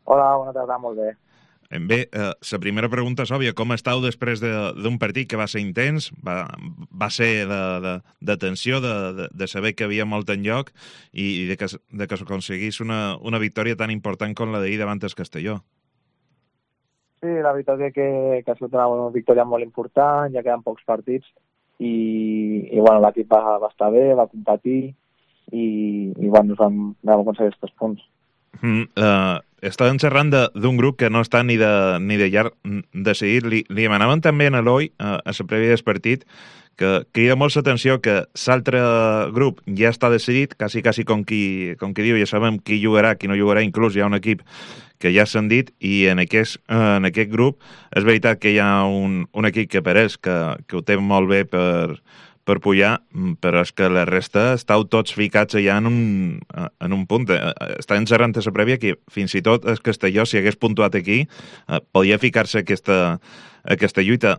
Hola, bona tarda, molt bé. Bé, la primera pregunta és òbvia. Com estàu després d'un partit que va ser intens, va ser de tensió, de saber que havia molt en lloc i de que s'aconseguís una victòria tan important com la d'ahir davant el Castelló? Sí, la veritat és que ha sigut una victòria molt important, ja queden pocs partits i bueno, l'equip va estar bé, va competir i bueno, vam aconseguir aquests punts. Estàvem xerrant d'un grup que no està ni de llarg decidit. Li demanaven també a l'Eloi, a la prèvia del partit, que crida molt l'atenció que l'altre grup ja està decidit, quasi com qui diu, ja sabem qui jugarà, qui no jugarà, inclús hi ha un equip que ja s'han dit, i en aquest grup és veritat que hi ha un equip que per ells, que ho té molt bé per pujar, però és que la resta estàu tots ficats allà en un punt. Estàvem xerrant a la prèvia que fins i tot el Castelló, si hagués puntuat aquí, podia ficar-se aquesta lluita.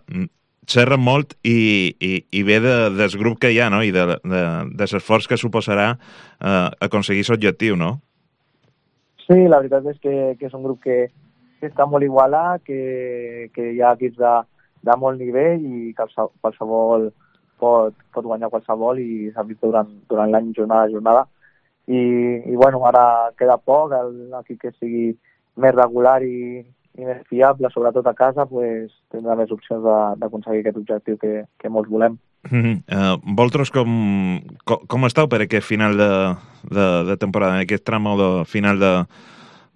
Xerra molt i ve del grup que hi ha, no? I de l'esforç que suposarà aconseguir l'objectiu, no? Sí, la veritat és que és un grup que està molt igualat, que hi ha equips de molt nivell i que qualsevol pot guanyar qualsevol i s'ha vist durant l'any jornada a jornada. I bueno, ara queda poc, l'equip que sigui més regular i més fiable, sobretot a casa, pues, tindrà més opcions d'aconseguir aquest objectiu que molts volem. Vosaltres com estàu per aquest final de temporada, en aquest tram de final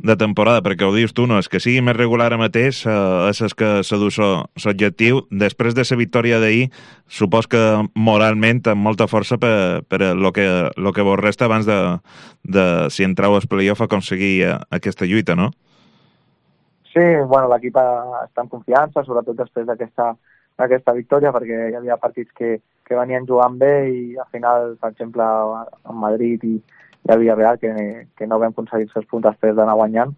de temporada, perquè ho dius tu, no? És que sigui més regular ara mateix, és que s'adú l'objectiu. Després de la victòria d'ahir, supos que moralment amb molta força per lo que vos resta abans de si entrau al playoff, aconseguir aquesta lluita, no? Sí, bueno, l'equip està en confiança, sobretot després d'aquesta victòria, perquè hi havia partits que venien jugant bé i al final, per exemple, en Madrid i a Villarreal, que no vam aconseguir els punts després d'anar guanyant,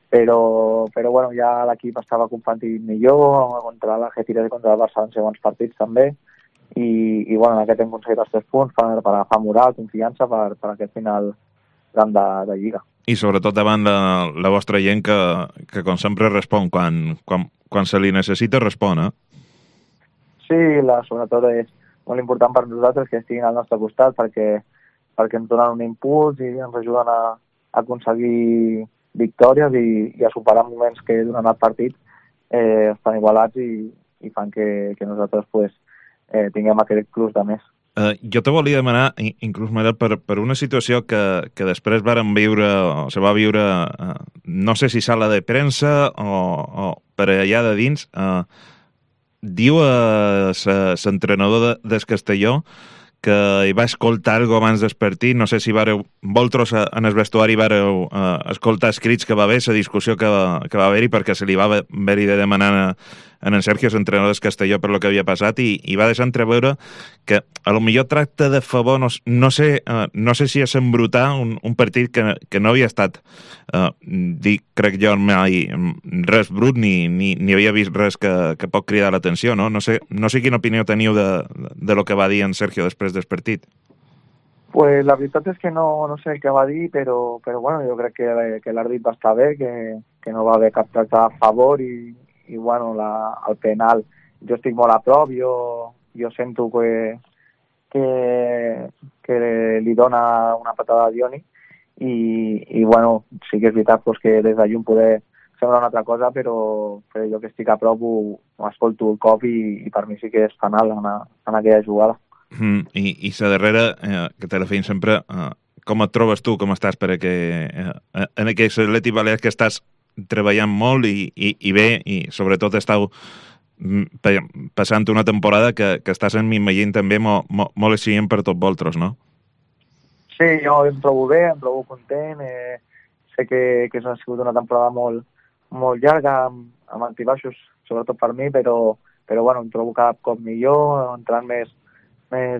però bueno, ja l'equip estava competint millor contra l'Algeciras i contra el Barça en segons partits també, i bueno, en aquest hem aconseguit els 3 punts per agafar moral, confiança per aquest final gran de Lliga. I sobretot davant la vostra gent que com sempre respon quan se li necessita, respon, eh? Sí, sobretot és molt important per nosaltres que estiguin al nostre costat perquè ens donen un impuls i ens ajuden a aconseguir victòries i a superar moments que durant el partit estan igualats i fan que nosaltres pues, tinguem aquest plus de més. Jo te volia demanar, inclús, Manel, per una situació que després vàrem viure, o se va viure, no sé si sala de premsa o per allà de dins, diu l'entrenador del Castelló que hi va escoltar alguna abans del partit. No sé si vosaltres en el vestuari vareu escoltar els crits que va haver, la discussió que va haver-hi, perquè se li va haver-hi de demanar en Sergio, l'entrenador del Castelló, per lo que havia passat, i va deixar entreveure que a lo millor tracta de favor, no sé si és embrutar un partit que no havia estat, crec jo, mai res brut, ni havia vist res que pot cridar l'atenció, no? No sé quina opinió teniu de lo que va dir en Sergio després del partit. Pues la veritat és que no sé el que va dir, però bueno, jo crec que l'àrbit va estar bé, que no va haver cap tracte a favor i bueno, el penal, jo estic molt a prop, jo sento que li dona una patada a Dioni i bueno, sí que és veritat pues, que des de llum poder semblar una altra cosa, però jo que estic a prop ho escolto el cop i per mi sí que és penal en aquella jugada. I la darrera, que te la feim sempre, com et trobes tu, com estàs en aquest Atlètic Balears que estàs treballant molt i bé, i sobretot estàu passant una temporada que estàs m'imagino també molt exigent per tots vosaltres, no? Sí, jo em trobo bé, em trobo content, sé que ha sigut una temporada molt llarga, amb altibaixos, sobretot per mi, però bueno, em trobo cada cop millor, entrant més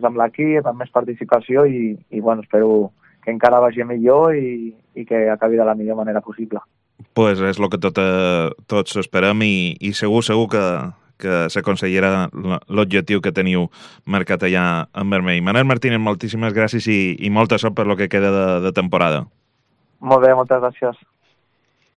amb l'equip, amb més participació i bueno, espero que encara vagi millor i que acabi de la millor manera possible. Pues és el que tots esperem i segur que s'aconseguirà l'objectiu que teniu marcat allà en vermell. Manel Martínez, moltíssimes gràcies i molta sort per lo que queda de temporada. Molt bé, moltes gràcies.